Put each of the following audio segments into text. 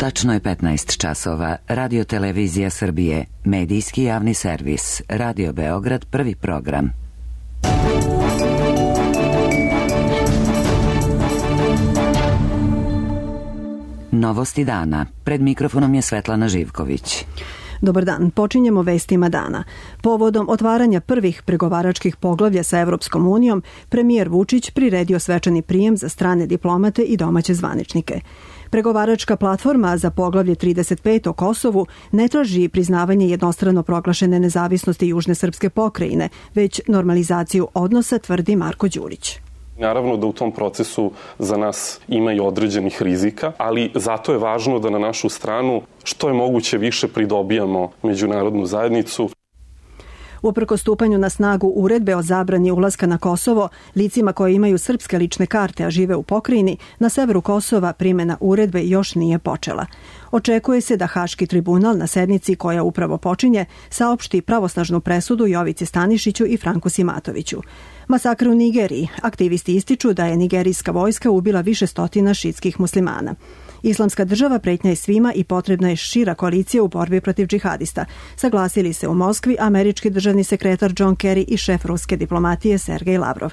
Tačno je 15 časova. Radio Televizija Srbije, medijski javni servis, Radio Beograd, prvi program. Novosti dana. Pred mikrofonom je Svetlana Živković. Dobar dan, počinjemo vestima dana. Povodom otvaranja prvih pregovaračkih poglavlja sa Evropskom unijom, premijer Vučić priredio svečani prijem za strane diplomate i domaće zvaničnike. Pregovaračka platforma za poglavlje 35 o Kosovu ne traži priznavanje jednostrano proglašene nezavisnosti južne srpske pokrajine, već normalizaciju odnosa, tvrdi Marko Đurić. Naravno da u tom procesu za nas ima i određenih rizika, ali zato je važno da na našu stranu što je moguće više pridobijamo međunarodnu zajednicu. Uprkos stupanju na snagu uredbe o zabrani ulaska na Kosovo, licima koje imaju srpske lične karte, a žive u pokrajini, na severu Kosova primjena uredbe još nije počela. Očekuje se da Haški tribunal na sednici koja upravo počinje saopšti pravosnažnu presudu Jovici Stanišiću i Franku Simatoviću. Masakr u Nigeriji. Aktivisti ističu da je nigerijska vojska ubila više stotina šiitskih muslimana. Islamska država pretnja je svima i potrebna je šira koalicija u borbi protiv džihadista. Saglasili se u Moskvi američki državni sekretar John Kerry i šef ruske diplomatije Sergej Lavrov.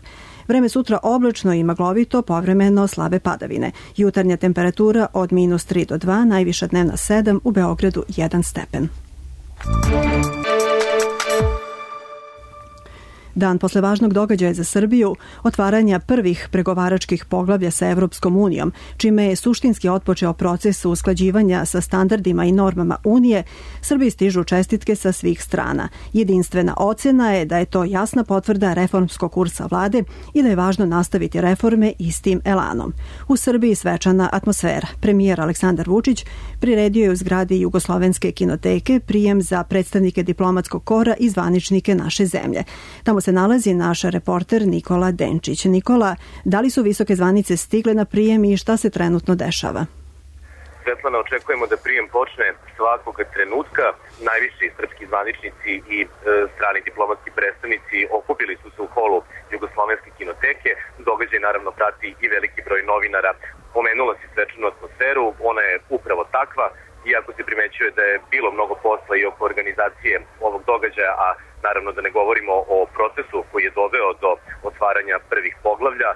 Vreme sutra oblačno i maglovito, povremeno slabe padavine. Jutarnja temperatura od -3 do 2, najviša dnevna 7, u Beogradu 1 stepen. Dan posle važnog događaja za Srbiju, otvaranja prvih pregovaračkih poglavlja sa Evropskom unijom, čime je suštinski otpočeo proces usklađivanja sa standardima i normama Unije, Srbiji stižu čestitke sa svih strana. Jedinstvena ocena je da je to jasna potvrda reformskog kursa vlade i da je važno nastaviti reforme istim elanom. U Srbiji svečana atmosfera. Premijer Aleksandar Vučić priredio je u zgradi Jugoslovenske kinoteke prijem za predstavnike diplomatskog kora i zvaničnike naše zemlje. Tamo se nalazi naš reporter Nikola Denčić. Nikola, da li su visoke zvanice stigle na prijem i šta se trenutno dešava? Svetlana, očekujemo da prijem počne svakog trenutka. Najviši srpski zvaničnici i strani diplomatski predstavnici okupili su se u holu Jugoslovenske kinoteke. Događaj naravno prati i veliki broj novinara. Pomenula si svečanu atmosferu, ona je upravo takva, iako se primećuje da je bilo mnogo posla i oko organizacije ovog događaja, a naravno da ne govorimo o procesu koji je doveo do otvaranja prvih poglavlja.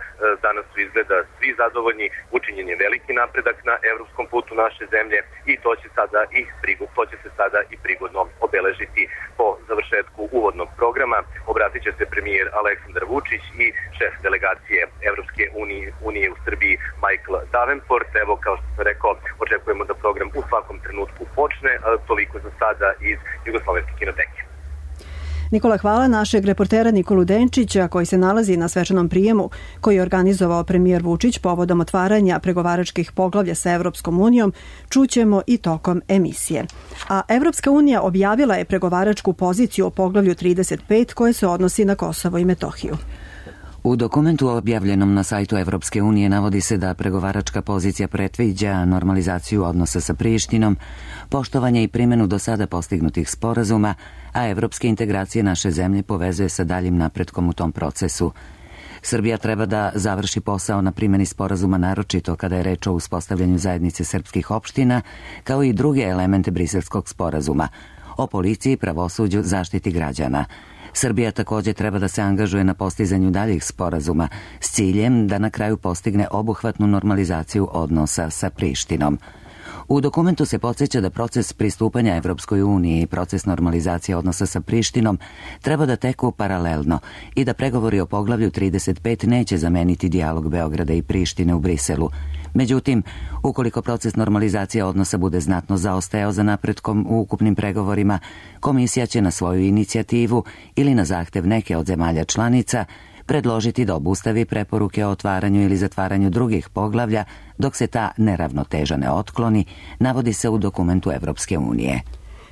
Danas su izgleda svi zadovoljni, učinjen je veliki napredak na evropskom putu naše zemlje i to će se sada i prigodno obeležiti po završetku uvodnog programa. Obratit će se premijer Aleksandar Vučić i šef delegacije Evropske unije u Srbiji Michael Davenport. Evo, kao što sam rekao, očekujemo da program u svakom trenutku počne, toliko za sada iz Jugoslovenske kinoteke. Nikola, hvala našeg reportera Nikolu Denčića koji se nalazi na svečanom prijemu koji je organizovao premijer Vučić povodom otvaranja pregovaračkih poglavlja sa Evropskom unijom, čućemo i tokom emisije. A Evropska unija objavila je pregovaračku poziciju o poglavlju 35 koje se odnosi na Kosovo i Metohiju. U dokumentu objavljenom na sajtu Evropske unije navodi se da pregovaračka pozicija predviđa normalizaciju odnosa sa Prištinom, poštovanje i primjenu do sada postignutih sporazuma, a evropske integracije naše zemlje povezuje sa daljim napretkom u tom procesu. Srbija treba da završi posao na primjeni sporazuma, naročito kada je reč o uspostavljanju zajednice srpskih opština, kao i druge elemente Briselskog sporazuma, o policiji, pravosuđu, zaštiti građana. Srbija također treba da se angažuje na postizanju daljih sporazuma s ciljem da na kraju postigne obuhvatnu normalizaciju odnosa sa Prištinom. U dokumentu se podsjeća da proces pristupanja Evropskoj uniji i proces normalizacije odnosa sa Prištinom treba da teku paralelno i da pregovori o poglavlju 35 neće zameniti dijalog Beograda i Prištine u Briselu. Međutim, ukoliko proces normalizacije odnosa bude znatno zaostajao za napretkom u ukupnim pregovorima, komisija će na svoju inicijativu ili na zahtev neke od zemalja članica predložiti da obustavi preporuke o otvaranju ili zatvaranju drugih poglavlja dok se ta neravnoteža ne otkloni, navodi se u dokumentu Evropske unije.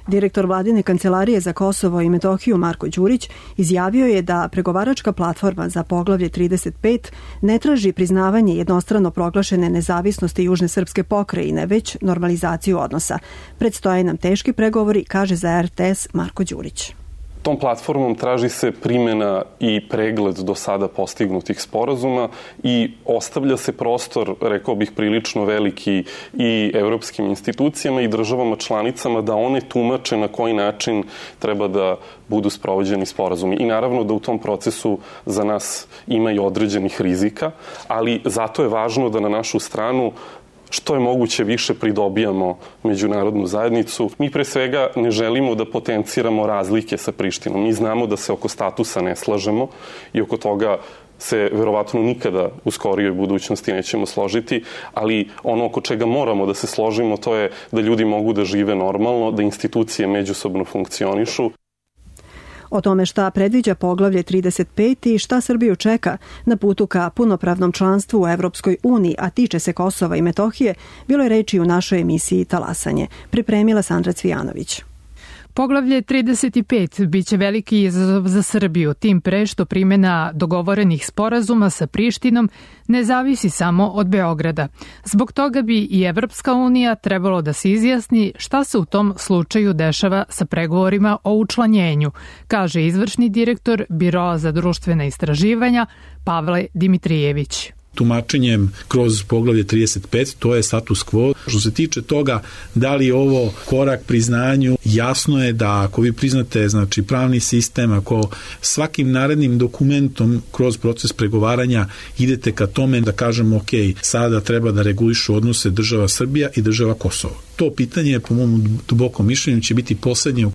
Direktor vladine kancelarije za Kosovo i Metohiju Marko Đurić izjavio je da pregovaračka platforma za poglavlje 35 ne traži priznavanje jednostrano proglašene nezavisnosti južne srpske pokrajine, već normalizaciju odnosa. Predstoje nam teški pregovori, kaže za RTS Marko Đurić. Tom platformom traži se primjena i pregled do sada postignutih sporazuma i ostavlja se prostor, rekao bih, prilično veliki i evropskim institucijama i državama članicama da one tumače na koji način treba da budu sprovođeni sporazumi. I naravno da u tom procesu za nas ima i određenih rizika, ali zato je važno da na našu stranu što je moguće više pridobijamo međunarodnu zajednicu. Mi pre svega ne želimo da potenciramo razlike sa Prištinom. Mi znamo da se oko statusa ne slažemo i oko toga se verovatno nikada u skorijoj budućnosti nećemo složiti, ali ono oko čega moramo da se složimo to je da ljudi mogu da žive normalno, da institucije međusobno funkcionišu. O tome šta predviđa poglavlje 35 i šta Srbiju čeka na putu ka punopravnom članstvu u Evropskoj uniji, a tiče se Kosova i Metohije, bilo je reči u našoj emisiji Talasanje. Pripremila Sandra Cvijanović. Poglavlje 35 biće veliki izazov za Srbiju, tim pre što primjena dogovorenih sporazuma sa Prištinom ne zavisi samo od Beograda. Zbog toga bi i Evropska unija trebalo da se izjasni šta se u tom slučaju dešava sa pregovorima o učlanjenju, kaže izvršni direktor Biroa za društvena istraživanja Pavle Dimitrijević. Tumačenjem kroz poglavlje 35, to je status quo. Što se tiče toga da li je ovo korak priznanju, jasno je da ako vi priznate pravni sistem, ako svakim narednim dokumentom kroz proces pregovaranja idete ka tome da kažemo ok, sada treba da regulišu odnose država Srbija i država Kosovo. To pitanje, po mom dubokom mišljenju, će biti poslednje.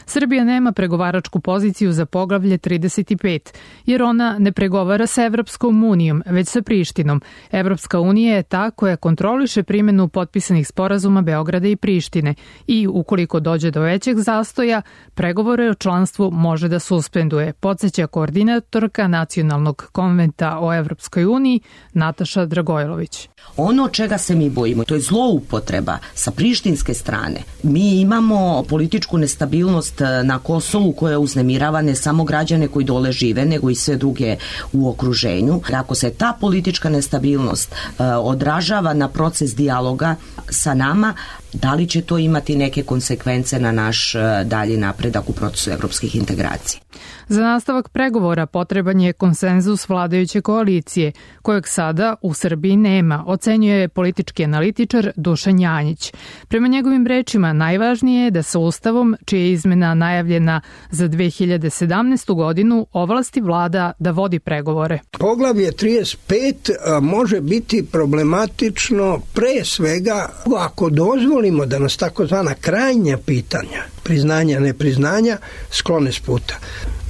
Srbija nema pregovaračku poziciju za poglavlje 35, jer ona ne pregovara sa Evropskom unijom, već sa Prištinom. Evropska unija je ta koja kontroliše primjenu potpisanih sporazuma Beograda i Prištine i ukoliko dođe do većeg zastoja, pregovore o članstvu može da suspenduje, podsjeća koordinatorka Nacionalnog konventa o Evropskoj uniji Nataša Dragojlović. Ono čega se mi bojimo, to je zloupotreba sa prištinske strane. Mi imamo političku nestabilnost na Kosovu koja uznemirava ne samo građane koji dole žive, nego i sve druge u okruženju. Ako se ta politička nestabilnost odražava na proces dijaloga sa nama, da li će to imati neke konsekvence na naš dalji napredak u procesu evropskih integracija? Za nastavak pregovora potreban je konsenzus vladajuće koalicije, kojeg sada u Srbiji nema, ocenjuje politički analitičar Dušan Janjić. Prema njegovim rečima, najvažnije je da sa Ustavom, čija je izmena najavljena za 2017. godinu, ovlasti vlada da vodi pregovore. Poglavlje 35 može biti problematično pre svega ako dozvolimo da nas takozvana krajnja pitanja, priznanja, nepriznanja, sklone s puta.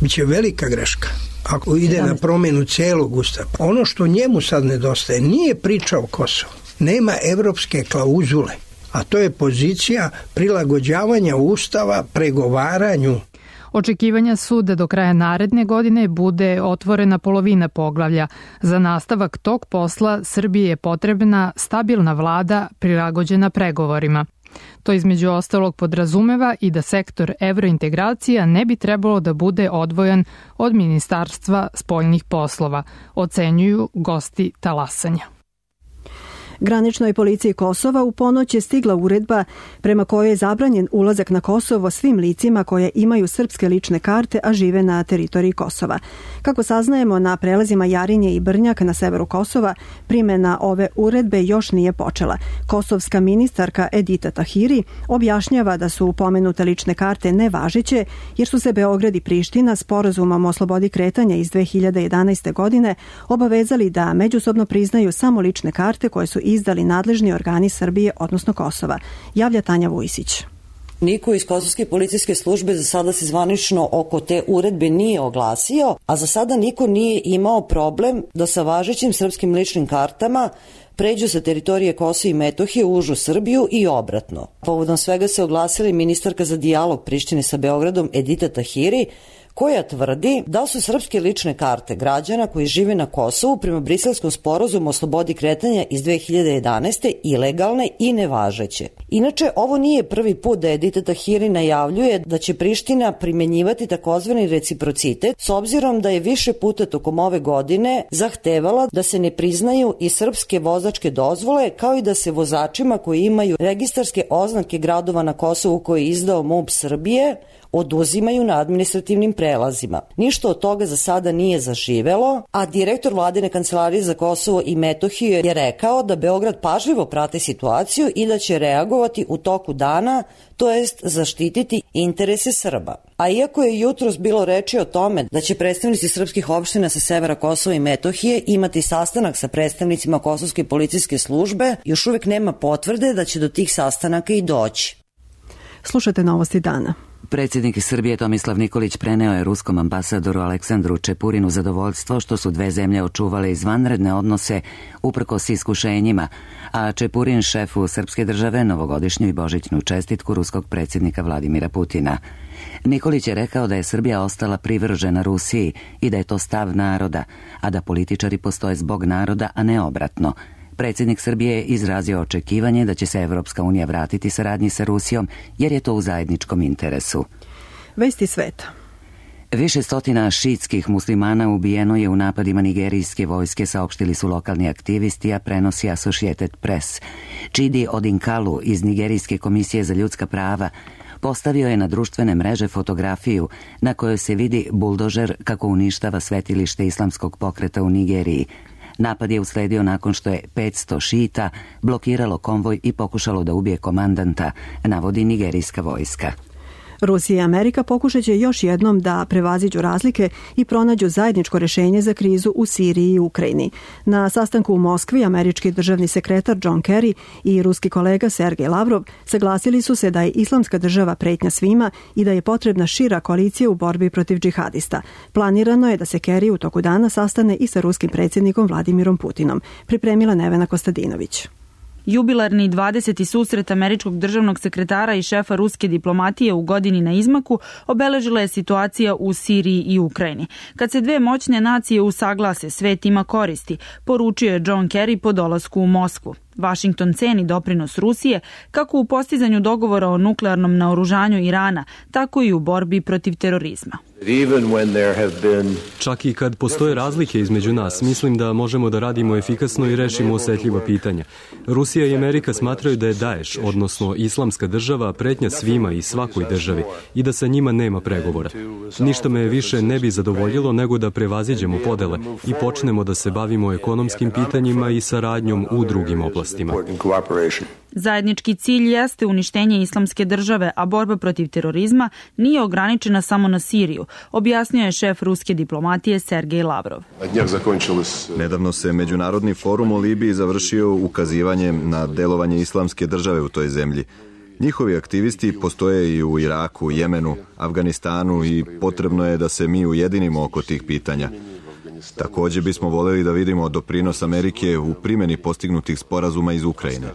Biće velika greška ako ide na promjenu celog Ustava. Ono što njemu sad nedostaje nije priča o Kosovu. Nema evropske klauzule, a to je pozicija prilagođavanja Ustava pregovaranju. Očekivanja su da do kraja naredne godine bude otvorena polovina poglavlja. Za nastavak tog posla Srbiji je potrebna stabilna vlada prilagođena pregovorima. To između ostalog podrazumeva i da sektor evrointegracija ne bi trebalo da bude odvojen od Ministarstva spoljnih poslova, ocenjuju gosti Talasanja. Graničnoj policiji Kosova u ponoć je stigla uredba prema kojoj je zabranjen ulazak na Kosovo svim licima koje imaju srpske lične karte, a žive na teritoriji Kosova. Kako saznajemo, na prelazima Jarinje i Brnjak na severu Kosova primjena ove uredbe još nije počela. Kosovska ministarka Edita Tahiri objašnjava da su pomenute lične karte nevažeće jer su se Beograd i Priština sporazumom o slobodi kretanja iz 2011. godine obavezali da međusobno priznaju samo lične karte koje su izdali nadležni organi Srbije, odnosno Kosova, javlja Tanja Vujsić. Niko iz Kosovske policijske službe za sada se zvanično oko te uredbe nije oglasio, a za sada niko nije imao problem da sa važećim srpskim ličnim kartama pređu sa teritorije Kosova i Metohije u užu Srbiju i obratno. Povodom svega se oglasila ministarka za dijalog Prištine sa Beogradom Edita Tahiri, koja tvrdi da su srpske lične karte građana koji žive na Kosovu prema Briselskom sporazumu o slobodi kretanja iz 2011. ilegalne i nevažeće. Inače, ovo nije prvi put da Edita Tahiri najavljuje da će Priština primenjivati takozvani reciprocitet, s obzirom da je više puta tokom ove godine zahtevala da se ne priznaju i srpske vozačke dozvole, kao i da se vozačima koji imaju registarske oznake gradova na Kosovu koje je izdao MUP Srbije oduzimaju na administrativnim prelazima. Ništa od toga za sada nije zaživelo, a direktor Vladine kancelarije za Kosovo i Metohiju je rekao da Beograd pažljivo prati situaciju i da će reagovati u toku dana, to jest zaštititi interese Srba. A iako je jutros bilo reči o tome da će predstavnici srpskih opština sa severa Kosova i Metohije imati sastanak sa predstavnicima Kosovske policijske službe, još uvek nema potvrde da će do tih sastanaka i doći. Slušate Novosti dana. Predsjednik Srbije Tomislav Nikolić preneo je ruskom ambasadoru Aleksandru Čepurinu zadovoljstvo što su dve zemlje očuvale izvanredne odnose uprkos iskušenjima, a Čepurin šefu srpske države novogodišnju i božićnu čestitku ruskog predsjednika Vladimira Putina. Nikolić je rekao da je Srbija ostala privržena Rusiji i da je to stav naroda, a da političari postoje zbog naroda, a ne obratno. Predsjednik Srbije je izrazio očekivanje da će se Evropska unija vratiti saradnji sa Rusijom jer je to u zajedničkom interesu. Vesti sveta. Više stotina šiitskih muslimana ubijeno je u napadima nigerijske vojske, saopštili su lokalni aktivisti, a prenosi Associated Press. Chidi Odinkalu iz Nigerijske komisije za ljudska prava postavio je na društvene mreže fotografiju na kojoj se vidi buldožer kako uništava svetilište islamskog pokreta u Nigeriji. Napad je usledio nakon što je 500 šiita blokiralo konvoj i pokušalo da ubije komandanta, navodi nigerijska vojska. Rusija i Amerika pokušat će još jednom da prevaziđu razlike i pronađu zajedničko rješenje za krizu u Siriji i Ukrajini. Na sastanku u Moskvi američki državni sekretar John Kerry i ruski kolega Sergej Lavrov saglasili su se da je islamska država pretnja svima i da je potrebna šira koalicija u borbi protiv džihadista. Planirano je da se Kerry u toku dana sastane i sa ruskim predsjednikom Vladimirom Putinom. Pripremila Nevena Kostadinović. Jubilarni 20. susret američkog državnog sekretara i šefa ruske diplomatije u godini na izmaku obeležila je situacija u Siriji i Ukrajini. Kad se dve moćne nacije usaglase, svet ima koristi, poručio je John Kerry po dolasku u Moskvu. Vašington ceni doprinos Rusije kako u postizanju dogovora o nuklearnom naoružanju Irana, tako i u borbi protiv terorizma. Čak i kad postoje razlike između nas, mislim da možemo da radimo efikasno i rešimo osetljiva pitanja. Rusija i Amerika smatraju da je Daesh, odnosno islamska država, pretnja svima i svakoj državi i da sa njima nema pregovora. Ništa me više ne bi zadovoljilo nego da prevaziđemo podele i počnemo da se bavimo ekonomskim pitanjima i saradnjom u drugim oblastima. Zajednički cilj jeste uništenje islamske države, a borba protiv terorizma nije ograničena samo na Siriju, objasnio je šef ruske diplomatije Sergej Lavrov. Nedavno se Međunarodni forum o Libiji završio ukazivanjem na delovanje islamske države u toj zemlji. Njihovi aktivisti postoje i u Iraku, Jemenu, Afganistanu i potrebno je da se mi ujedinimo oko tih pitanja. Također bismo voljeli da vidimo doprinos Amerike u primjeni postignutih sporazuma iz Ukrajine.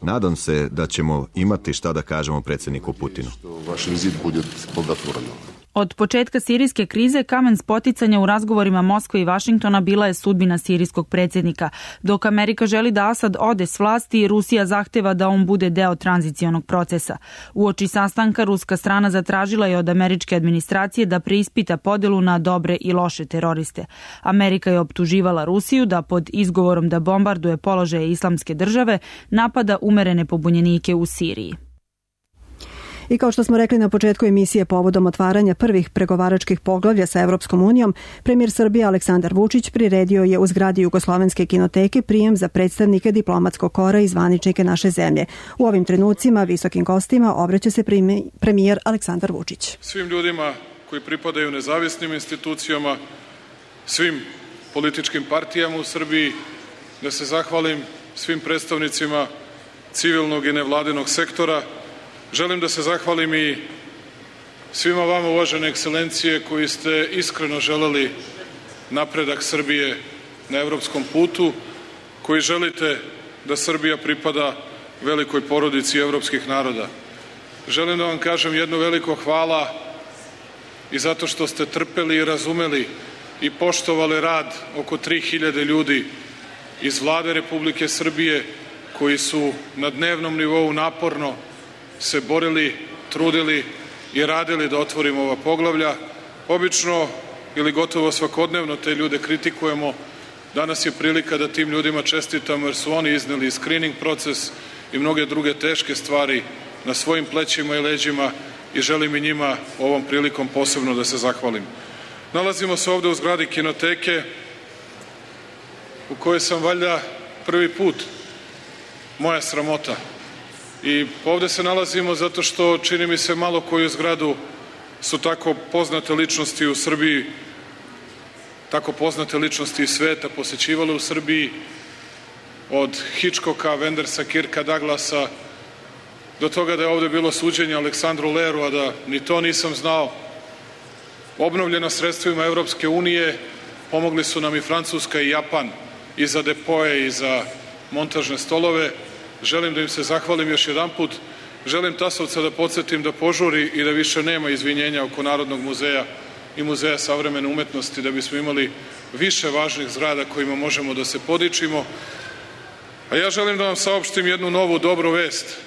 Nadam se da ćemo imati šta da kažemo predsjedniku Putinu. Od početka sirijske krize kamen spoticanja u razgovorima Moskve i Vašingtona bila je sudbina sirijskog predsjednika. Dok Amerika želi da Asad ode s vlasti, Rusija zahteva da on bude deo tranzicionog procesa. Uoči sastanka ruska strana zatražila je od američke administracije da preispita podelu na dobre i loše teroriste. Amerika je optuživala Rusiju da pod izgovorom da bombarduje položaje islamske države napada umerene pobunjenike u Siriji. I kao što smo rekli na početku emisije povodom otvaranja prvih pregovaračkih poglavlja sa Evropskom unijom, premijer Srbije Aleksandar Vučić priredio je u zgradi Jugoslovenske kinoteke prijem za predstavnike diplomatskog kora i zvaničnike naše zemlje. U ovim trenucima visokim gostima obraća se premijer Aleksandar Vučić. Svim ljudima koji pripadaju nezavisnim institucijama, svim političkim partijama u Srbiji, da se zahvalim svim predstavnicima civilnog i nevladinog sektora. Želim da se zahvalim i svima vama, uvažene ekscelencije, koji ste iskreno želeli napredak Srbije na evropskom putu, koji želite da Srbija pripada velikoj porodici evropskih naroda. Želim da vam kažem jedno veliko hvala i zato što ste trpeli i razumeli i poštovali rad oko 3000 ljudi iz Vlade Republike Srbije koji su na dnevnom nivou naporno se borili, trudili i radili da otvorimo ova poglavlja. Obično ili gotovo svakodnevno te ljude kritikujemo. Danas je prilika da tim ljudima čestitamo jer su oni izneli screening proces i mnoge druge teške stvari na svojim plećima i leđima i želim i njima ovom prilikom posebno da se zahvalim. Nalazimo se ovde u zgradi Kinoteke u kojoj sam valjda prvi put, moja sramota. I ovde se nalazimo zato što čini mi se malo koju zgradu su tako poznate ličnosti u Srbiji, tako poznate ličnosti iz sveta posećivale u Srbiji, od Hitchcocka, Wendersa, Kirka Douglasa, do toga da je ovde bilo suđenje Aleksandru Leru, a da ni to nisam znao. Obnovljeno sredstvima Evropske unije, pomogli su nam i Francuska i Japan, i za depoje i za montažne stolove. Želim da im se zahvalim još jedan put. Želim Tasovca da podsjetim da požuri i da više nema izvinjenja oko Narodnog muzeja i Muzeja savremene umetnosti, da bismo imali više važnih zgrada kojima možemo da se podičimo. A ja želim da vam saopštim jednu novu dobru vest.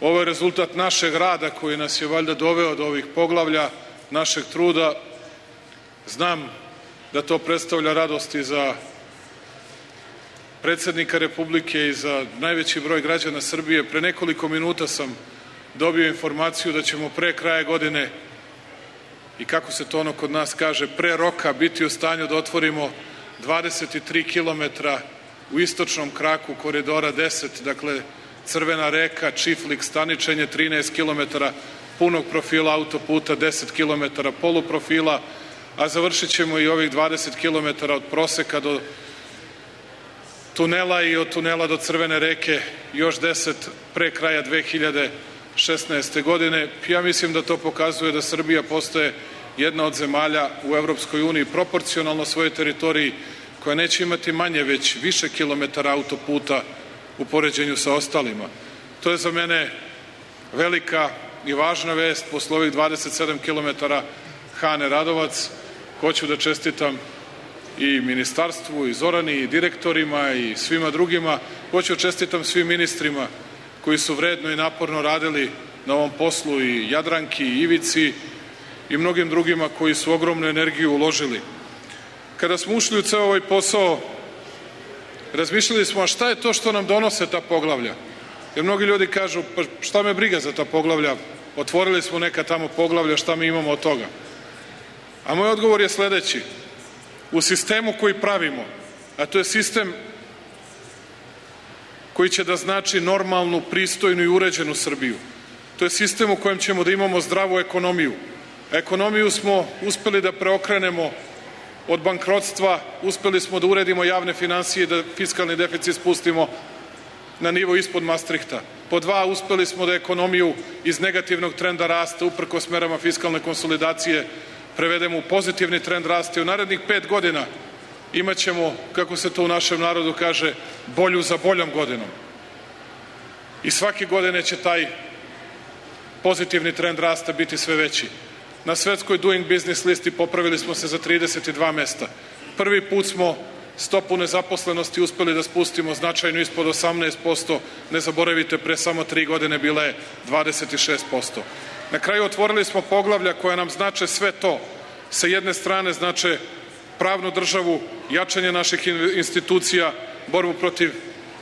Ovo je rezultat našeg rada koji nas je valjda doveo do ovih poglavlja, našeg truda. Znam da to predstavlja radost i za predsednika Republike i za najveći broj građana Srbije. Pre nekoliko minuta sam dobio informaciju da ćemo pre kraja godine, i kako se to ono kod nas kaže, pre roka biti u stanju da otvorimo 23 kilometra u istočnom kraku koridora 10, dakle Crvena reka, Čiflik, Staničenje, 13 kilometara punog profila autoputa, 10 kilometara poluprofila, a završit ćemo i ovih 20 kilometara od Proseka do tunela i od tunela do Crvene reke, još 10 pre kraja 2016. godine. Ja mislim da to pokazuje da Srbija postaje jedna od zemalja u Evropskoj uniji proporcionalno svojoj teritoriji, koja neće imati manje, već više kilometara autoputa u poređenju sa ostalima. To je za mene velika i važna vest posle ovih 27 kilometara Hane Radovac. Hoću da čestitam i ministarstvu, i Zorani, i direktorima, i svima drugima. Hoću da čestitam svim ministrima koji su vredno i naporno radili na ovom poslu, i Jadranki, i Ivici, i mnogim drugima koji su ogromnu energiju uložili. Kada smo ušli u ceo ovaj posao, razmišljali smo, a šta je to što nam donose ta poglavlja? Jer mnogi ljudi kažu, pa šta me briga za ta poglavlja, otvorili smo neka tamo poglavlja, šta mi imamo od toga? A moj odgovor je sledeći. U sistemu koji pravimo, a to je sistem koji će da znači normalnu, pristojnu i uređenu Srbiju. To je sistem u kojem ćemo da imamo zdravu ekonomiju. Ekonomiju smo uspeli da preokrenemo od bankrotstva, uspeli smo da uredimo javne finansije i da fiskalni deficit spustimo na nivo ispod Mastrihta. Po dva, uspeli smo da ekonomiju iz negativnog trenda rasta, uprkos merama fiskalne konsolidacije, prevedemo u pozitivni trend rasta i u narednih 5 godina imaćemo, kako se to u našem narodu kaže, bolju za boljom godinom. I svake godine će taj pozitivni trend rasta biti sve veći. Na svetskoj Doing Business listi popravili smo se za 32 mesta. Prvi put smo stopu nezaposlenosti uspeli da spustimo značajno ispod 18%. Ne zaboravite, pre samo 3 godine bila je 26%. Na kraju otvorili smo poglavlja koja nam znače sve to. Sa jedne strane znače pravnu državu, jačanje naših institucija, borbu protiv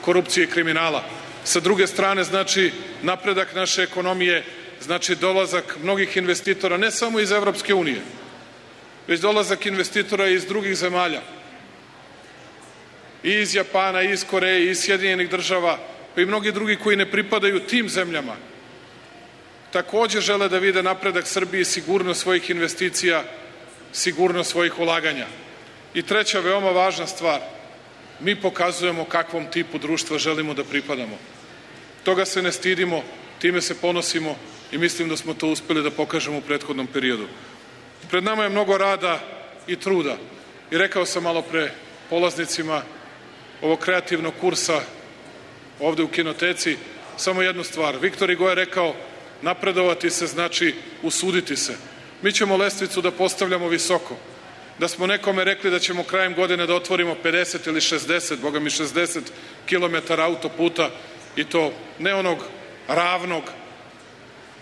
korupcije i kriminala. Sa druge strane znači napredak naše ekonomije, znači dolazak mnogih investitora, ne samo iz Evropske unije, već dolazak investitora iz drugih zemalja, i iz Japana, i iz Koreje, i iz Sjedinjenih država, pa i mnogi drugi koji ne pripadaju tim zemljama. Takođe žele da vide napredak Srbije, sigurnost svojih investicija, sigurnost svojih ulaganja. I treća veoma važna stvar, mi pokazujemo kakvom tipu društva želimo da pripadamo. Toga se ne stidimo, time se ponosimo i mislim da smo to uspeli da pokažemo u prethodnom periodu. Pred nama je mnogo rada i truda. I rekao sam malo pre polaznicima ovog kreativnog kursa ovde u Kinoteci samo jednu stvar. Viktor Hugo je rekao, napredovati se znači usuditi se. Mi ćemo lestvicu da postavljamo visoko. Da smo nekome rekli da ćemo krajem godine da otvorimo 50 ili 60, boga mi 60 kilometara autoputa, i to ne onog ravnog,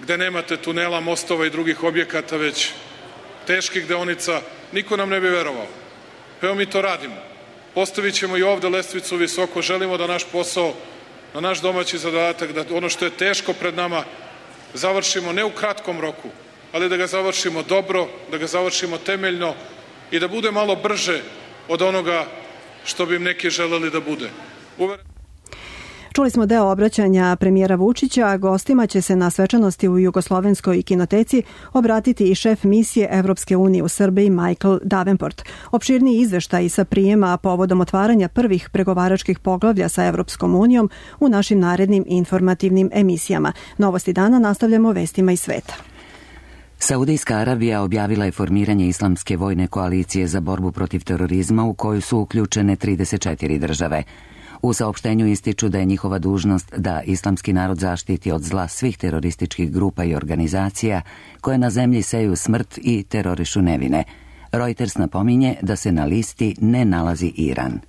gde nemate tunela, mostova i drugih objekata, već teških deonica, niko nam ne bi verovao. Pa evo mi to radimo. Postavit ćemo i ovde lestvicu visoko. Želimo da naš posao, na naš domaći zadatak, da ono što je teško pred nama, završimo ne u kratkom roku, ali da ga završimo dobro, da ga završimo temeljno i da bude malo brže od onoga što bi im neki želeli da bude. Čuli smo deo obraćanja premijera Vučića, a gostima će se na svečanosti u Jugoslovenskoj kinoteci obratiti i šef misije Evropske unije u Srbiji Michael Davenport. Opširniji izveštaj sa prijema povodom otvaranja prvih pregovaračkih poglavlja sa Evropskom unijom u našim narednim informativnim emisijama. Novosti dana nastavljamo vestima iz sveta. Saudijska Arabija objavila je formiranje islamske vojne koalicije za borbu protiv terorizma u koju su uključene 34 države. U saopštenju ističu da je njihova dužnost da islamski narod zaštiti od zla svih terorističkih grupa i organizacija koje na zemlji seju smrt i terorišu nevine. Reuters napominje da se na listi ne nalazi Iran.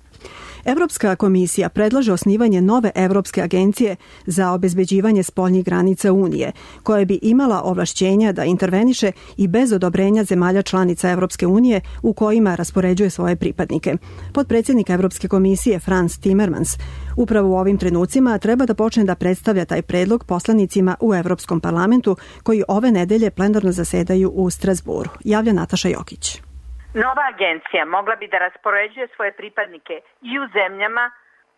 Evropska komisija predlaže osnivanje nove Evropske agencije za obezbeđivanje spoljnih granica Unije, koja bi imala ovlašćenja da interveniše i bez odobrenja zemalja članica Evropske unije u kojima raspoređuje svoje pripadnike. Potpredsjednik Evropske komisije Frans Timmermans upravo u ovim trenucima treba da počne da predstavlja taj predlog poslanicima u Evropskom parlamentu koji ove nedelje plenarno zasedaju u Strasburu. Javlja Nataša Jokić. Nova agencija mogla bi da raspoređuje svoje pripadnike i u zemljama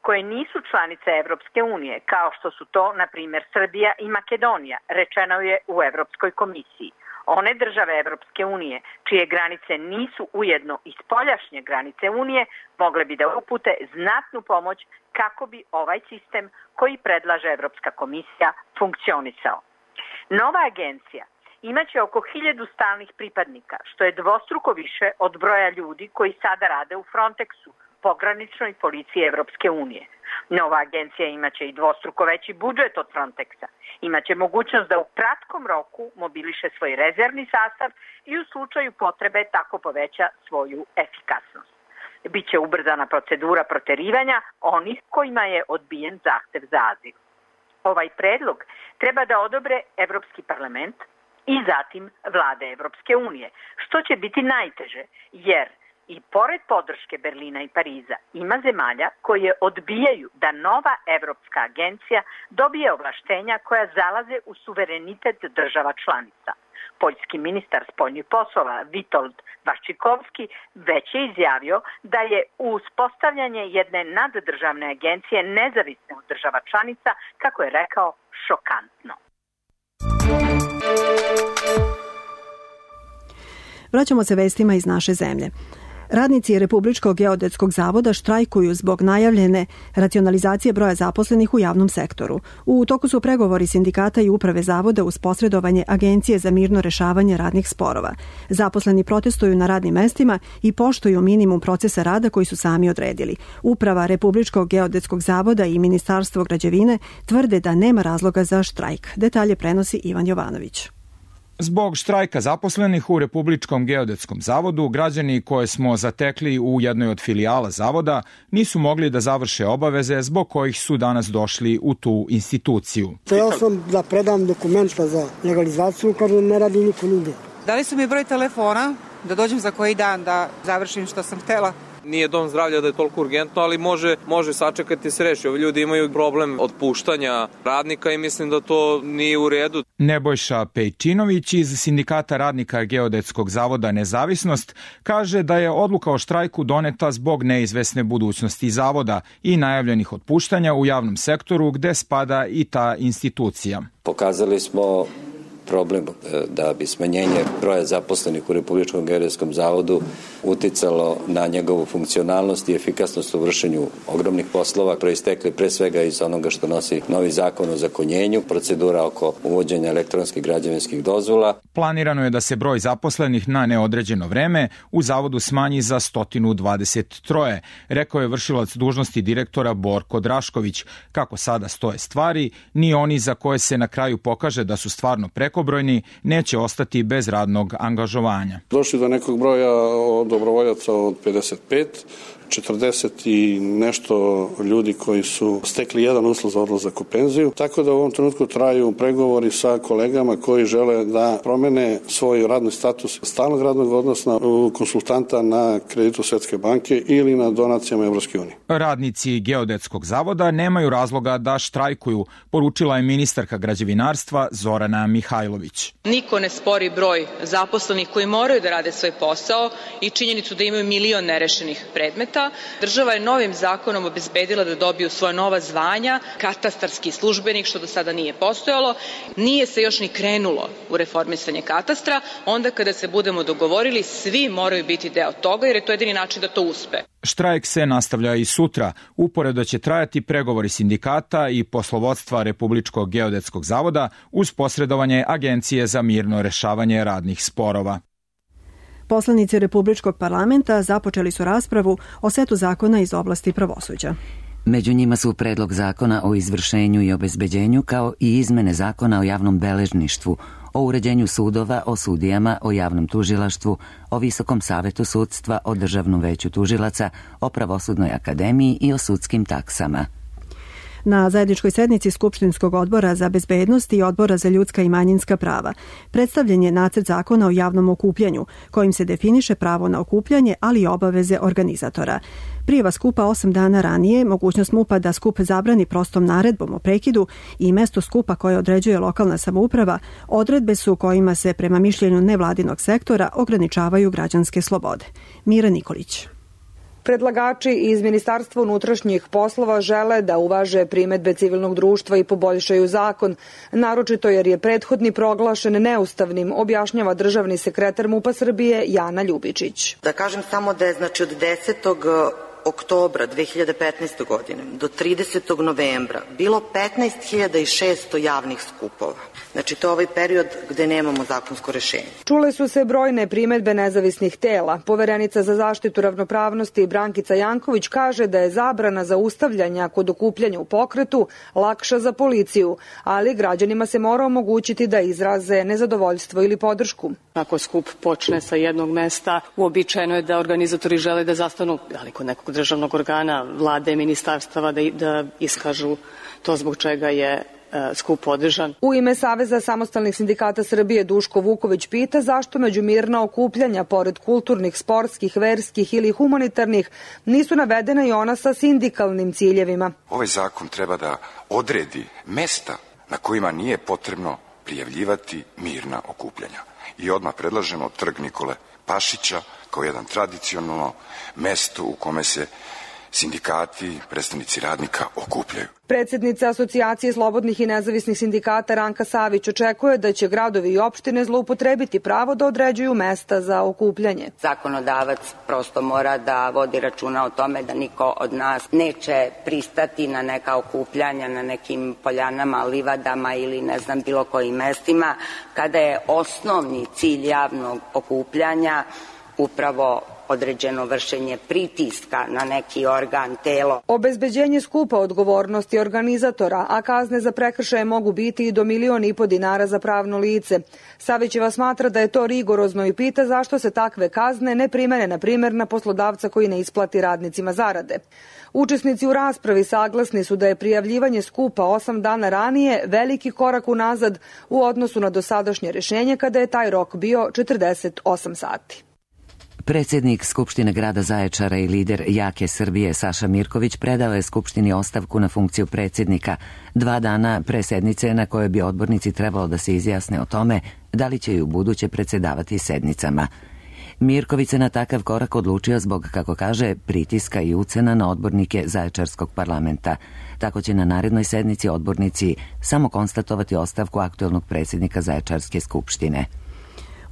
koje nisu članice Evropske unije, kao što su to, na primjer, Srbija i Makedonija, rečeno je u Evropskoj komisiji. One države Evropske unije, čije granice nisu ujedno i spoljašnje granice Unije, mogle bi da upute znatnu pomoć kako bi ovaj sistem koji predlaže Evropska komisija funkcionisao. Nova agencija imaće oko 1000 stalnih pripadnika, što je dvostruko više od broja ljudi koji sada rade u Frontexu, pograničnoj policiji Evropske unije. Nova agencija imaće i dvostruko veći budžet od Frontexa. Imaće mogućnost da u kratkom roku mobiliše svoj rezervni sastav i u slučaju potrebe tako poveća svoju efikasnost. Biće ubrzana procedura proterivanja onih kojima je odbijen zahtev za azil. Ovaj predlog treba da odobre Evropski parlament i zatim vlade Evropske unije, što će biti najteže, jer i pored podrške Berlina i Pariza ima zemalja koje odbijaju da nova Evropska agencija dobije ovlaštenja koja zalaze u suverenitet država članica. Poljski ministar spoljnih poslova Witold Waszczykowski već je izjavio da je uspostavljanje jedne naddržavne agencije nezavisne od država članica, kako je rekao, šokantno. Vraćamo se vestima iz naše zemlje. Radnici Republičkog geodetskog zavoda štrajkuju zbog najavljene racionalizacije broja zaposlenih u javnom sektoru. U toku su pregovori sindikata i uprave zavoda uz posredovanje Agencije za mirno rešavanje radnih sporova. Zaposleni protestuju na radnim mestima i poštuju minimum procesa rada koji su sami odredili. Uprava Republičkog geodetskog zavoda i Ministarstvo građevine tvrde da nema razloga za štrajk. Detalje prenosi Ivan Jovanović. Zbog štrajka zaposlenih u Republičkom geodetskom zavodu, građani koje smo zatekli u jednoj od filijala zavoda nisu mogli da završe obaveze zbog kojih su danas došli u tu instituciju. Hteo sam da predam dokumenta za legalizaciju, kad ne radi niko nigde. Dali su mi broj telefona da dođem za koji dan da završim što sam htela. Nije dom zdravlja da je toliko urgentno, ali može sačekati se reši. Ovi ljudi imaju problem otpuštanja radnika i mislim da to nije u redu. Nebojša Pejčinović iz Sindikata radnika Geodetskog zavoda Nezavisnost kaže da je odluka o štrajku doneta zbog neizvesne budućnosti zavoda i najavljenih otpuštanja u javnom sektoru gde spada i ta institucija. Pokazali smo problem da bi smanjenje broja zaposlenih u Republičkom geodetskom zavodu uticalo na njegovu funkcionalnost i efikasnost u vršenju ogromnih poslova, proistekli pre svega iz onoga što nosi novi zakon o zakonjenju, procedura oko uvođenja elektronskih građevinskih dozvola. Planirano je da se broj zaposlenih na neodređeno vreme u zavodu smanji za 123, rekao je vršilac dužnosti direktora Borko Drašković. Kako sada stoje stvari, ni oni za koje se na kraju pokaže da su stvarno prekobrojni neće ostati bez radnog angažovanja. Došli do nekog broja dobrovoljaca od 55, 40 i nešto ljudi koji su stekli jedan uslov za odlazak u penziju, tako da u ovom trenutku traju pregovori sa kolegama koji žele da promene svoj radni status stalnog radnog odnosa u konsultanta na kreditu Svetske banke ili na donacijama Evropske unije. Radnici Geodetskog zavoda nemaju razloga da štrajkuju, poručila je ministarka građevinarstva Zorana Mihajlović. Niko ne spori broj zaposlenih koji moraju da rade svoj posao i činjenicu da imaju milion nerešenih predmeta. Država je novim zakonom obezbedila da dobiju svoja nova zvanja, katastarski službenik, što do sada nije postojalo. Nije se još ni krenulo u reformisanje katastra. Onda kada se budemo dogovorili, svi moraju biti deo toga, jer je to jedini način da to uspe. Štrajk se nastavlja i sutra. Uporedo će trajati pregovori sindikata i poslovodstva Republičkog geodetskog zavoda uz posredovanje Agencije za mirno rešavanje radnih sporova. Poslanici Republičkog parlamenta započeli su raspravu o setu zakona iz oblasti pravosuđa. Među njima su predlog zakona o izvršenju i obezbeđenju, kao i izmene zakona o javnom beležništvu, o uređenju sudova, o sudijama, o javnom tužilaštvu, o Visokom savetu sudstva, o Državnom veću tužilaca, o Pravosudnoj akademiji i o sudskim taksama. Na zajedničkoj sednici Skupštinskog odbora za bezbednost i Odbora za ljudska i manjinska prava predstavljen je nacrt zakona o javnom okupljanju, kojim se definiše pravo na okupljanje, ali i obaveze organizatora. Prijava skupa 8 dana ranije, mogućnost MUP-a da skup zabrani prostom naredbom o prekidu i mesto skupa koje određuje lokalna samouprava, odredbe su kojima se prema mišljenju nevladinog sektora ograničavaju građanske slobode. Mira Nikolić. Predlagači iz Ministarstva unutrašnjih poslova žele da uvaže primedbe civilnog društva i poboljšaju zakon, naročito jer je prethodni proglašen neustavnim, objašnjava državni sekretar MUP-a Srbije Jana Ljubičić. Da kažem samo da je od 10. oktobra 2015. godine do 30. novembra bilo 15.600 javnih skupova. Znači, to je ovaj period gde nemamo zakonsko rešenje. Čule su se brojne primedbe nezavisnih tela. Poverenica za zaštitu ravnopravnosti Brankica Janković kaže da je zabrana zaustavljanja kod okupljanja u pokretu lakša za policiju, ali građanima se mora omogućiti da izraze nezadovoljstvo ili podršku. Ako skup počne sa jednog mesta, uobičajeno je da organizatori žele da zastanu kod nekog državnog organa, vlade, ministarstava, da iskažu to zbog čega je skup održan. U ime Saveza samostalnih sindikata Srbije Duško Vuković pita zašto među mirna okupljanja, pored kulturnih, sportskih, verskih ili humanitarnih, nisu navedena i ona sa sindikalnim ciljevima. Ovaj zakon treba da odredi mesta na kojima nije potrebno prijavljivati mirna okupljanja. I odmah predlažemo Trg Nikole Pašića kao jedan tradicionalno mesto u kome se sindikati, predstavnici radnika okupljaju. Predsjednica Asocijacije slobodnih i nezavisnih sindikata Ranka Savić očekuje da će gradovi i opštine zloupotrebiti pravo da određuju mesta za okupljanje. Zakonodavac prosto mora da vodi računa o tome da niko od nas neće pristati na neka okupljanja na nekim poljanama, livadama ili ne znam bilo kojim mestima, kada je osnovni cilj javnog okupljanja upravo određeno vršenje pritiska na neki organ, telo. Obezbeđenje skupa odgovornosti organizatora, a kazne za prekršaje mogu biti i do 1,5 miliona dinara za pravno lice. Savićeva smatra da je to rigorozno i pita zašto se takve kazne ne primene, na primjer, na poslodavca koji ne isplati radnicima zarade. Učesnici u raspravi saglasni su da je prijavljivanje skupa 8 dana ranije veliki korak unazad u odnosu na dosadašnje rešenje kada je taj rok bio 48 sati. Predsjednik Skupštine grada Zaječara i lider Jake Srbije Saša Mirković predao je Skupštini ostavku na funkciju predsjednika 2 dana pre sednice na kojoj bi odbornici trebalo da se izjasne o tome da li će i u buduće predsjedavati sednicama. Mirković se na takav korak odlučio zbog, kako kaže, pritiska i ucena na odbornike Zaječarskog parlamenta. Tako će na narednoj sednici odbornici samo konstatovati ostavku aktuelnog predsjednika Zaječarske skupštine.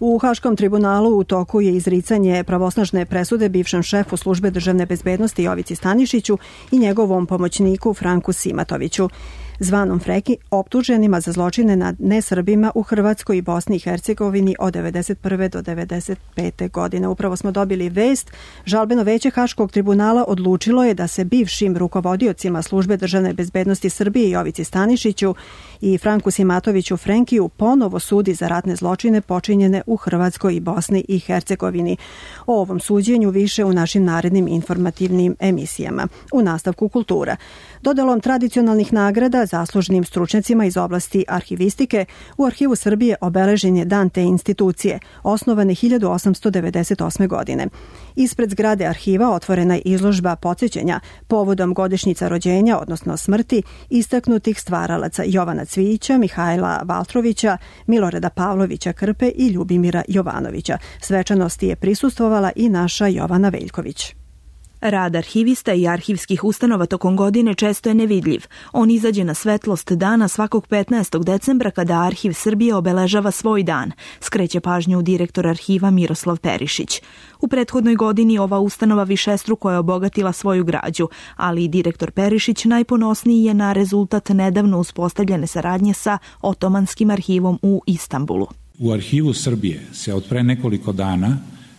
U Haškom tribunalu u toku je izricanje pravosnažne presude bivšem šefu službe državne bezbednosti Jovici Stanišiću i njegovom pomoćniku Franku Simatoviću. zvanom Freki, optuženima za zločine nad nesrbima u Hrvatskoj i Bosni i Hercegovini od 1991. do 1995. godine. Upravo smo dobili vest. Žalbeno veće Haškog tribunala odlučilo je da se bivšim rukovodiocima Službe državne bezbednosti Srbije Jovici Stanišiću i Franku Simatoviću Frenkiju ponovo sudi za ratne zločine počinjene u Hrvatskoj i Bosni i Hercegovini. O ovom suđenju više u našim narednim informativnim emisijama. U nastavku kultura. Dodelom tradicionalnih nagrada zaslužnim stručnjacima iz oblasti arhivistike u Arhivu Srbije obeležen je dan te institucije, osnovane 1898. godine. Ispred zgrade arhiva otvorena je izložba podsjećanja povodom godišnjica rođenja, odnosno smrti, istaknutih stvaralaca Jovana Cvijića, Mihajla Valtrovića, Milorada Pavlovića Krpe i Ljubimira Jovanovića. Svečanosti je prisustvovala i naša Jovana Veljković. Rad arhivista i arhivskih ustanova tokom godine često je nevidljiv. On izađe na svetlost dana svakog 15. decembra kada Arhiv Srbije obeležava svoj dan, skreće pažnju direktor arhiva Miroslav Perišić. U prethodnoj godini ova ustanova višestruko je obogatila svoju građu, ali i direktor Perišić najponosniji je na rezultat nedavno uspostavljene saradnje sa Otomanskim arhivom u Istanbulu. U Arhivu Srbije se od pre nekoliko dana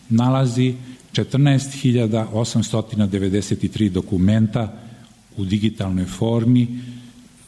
nalazi 14.893 dokumenta u digitalnoj formi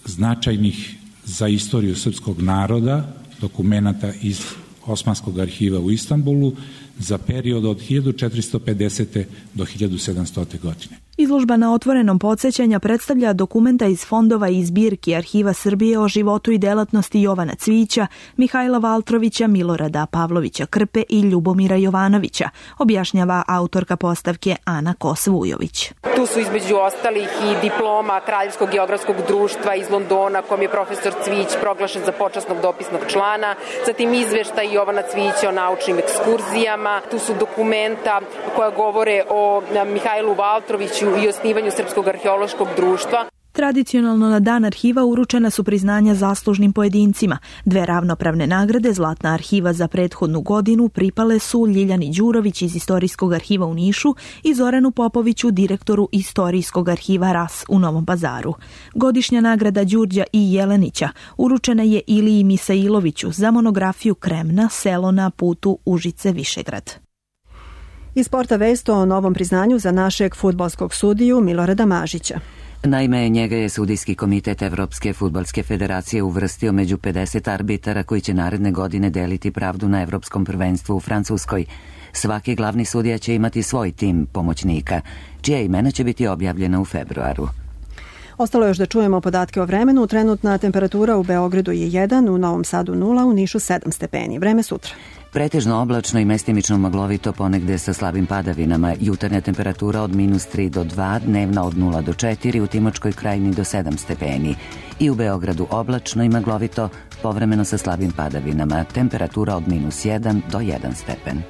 značajnih za istoriju srpskog naroda, dokumenata iz Osmanskog arhiva u Istanbulu za period od 1450. do 1700. godine. Izložba na otvorenom podsjećanja predstavlja dokumenta iz fondova i zbirki Arhiva Srbije o životu i delatnosti Jovana Cvijića, Mihajla Valtrovića, Milorada Pavlovića Krpe i Ljubomira Jovanovića, objašnjava autorka postavke Ana Kos-Vujović. Tu su između ostalih i diploma Kraljevskog geografskog društva iz Londona, kom je profesor Cvijić proglašen za počasnog dopisnog člana, zatim izveštaj Jovana Cvijića o naučnim ekskurzijama, tu su dokumenta koja govore o Mihajlu Valtroviću i osnivanju Srpskog arheološkog društva. Tradicionalno na dan arhiva uručena su priznanja zaslužnim pojedincima. 2 ravnopravne nagrade Zlatna arhiva za prethodnu godinu pripale su Ljiljani Đurović iz Istorijskog arhiva u Nišu i Zoranu Popoviću, direktoru Istorijskog arhiva RAS u Novom Pazaru. Godišnja nagrada Đurđa i Jelenića uručena je Iliji Misailoviću za monografiju Kremna, selo na putu Užice-Višegrad. Iz sporta vest o novom priznanju za našeg fudbalskog sudiju Milorada Mažića. Naime, njega je Sudijski komitet Evropske fudbalske federacije uvrstio među 50 arbitara koji će naredne godine deliti pravdu na Evropskom prvenstvu u Francuskoj. Svaki glavni sudija će imati svoj tim pomoćnika, čija imena će biti objavljena u februaru. Ostalo još da čujemo podatke o vremenu. Trenutna temperatura u Beogradu je 1, u Novom Sadu 0, u Nišu 7 stepeni. Vreme sutra. Pretežno oblačno i mestimično maglovito, ponegde sa slabim padavinama. Jutarnja temperatura od -3 do 2, dnevna od 0 do 4, u Timočkoj krajini do 7 stepeni. I u Beogradu oblačno i maglovito, povremeno sa slabim padavinama. Temperatura od -1 do 1 stepen.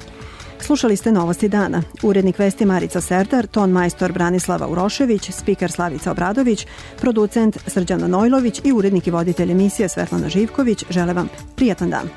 Slušali ste Novosti dana. Urednik vesti Marica Serdar, ton majstor Branislava Urošević, spiker Slavica Obradović, producent Srđan Manojlović i urednik i voditelj emisije Svetlana Živković žele vam prijatan dan.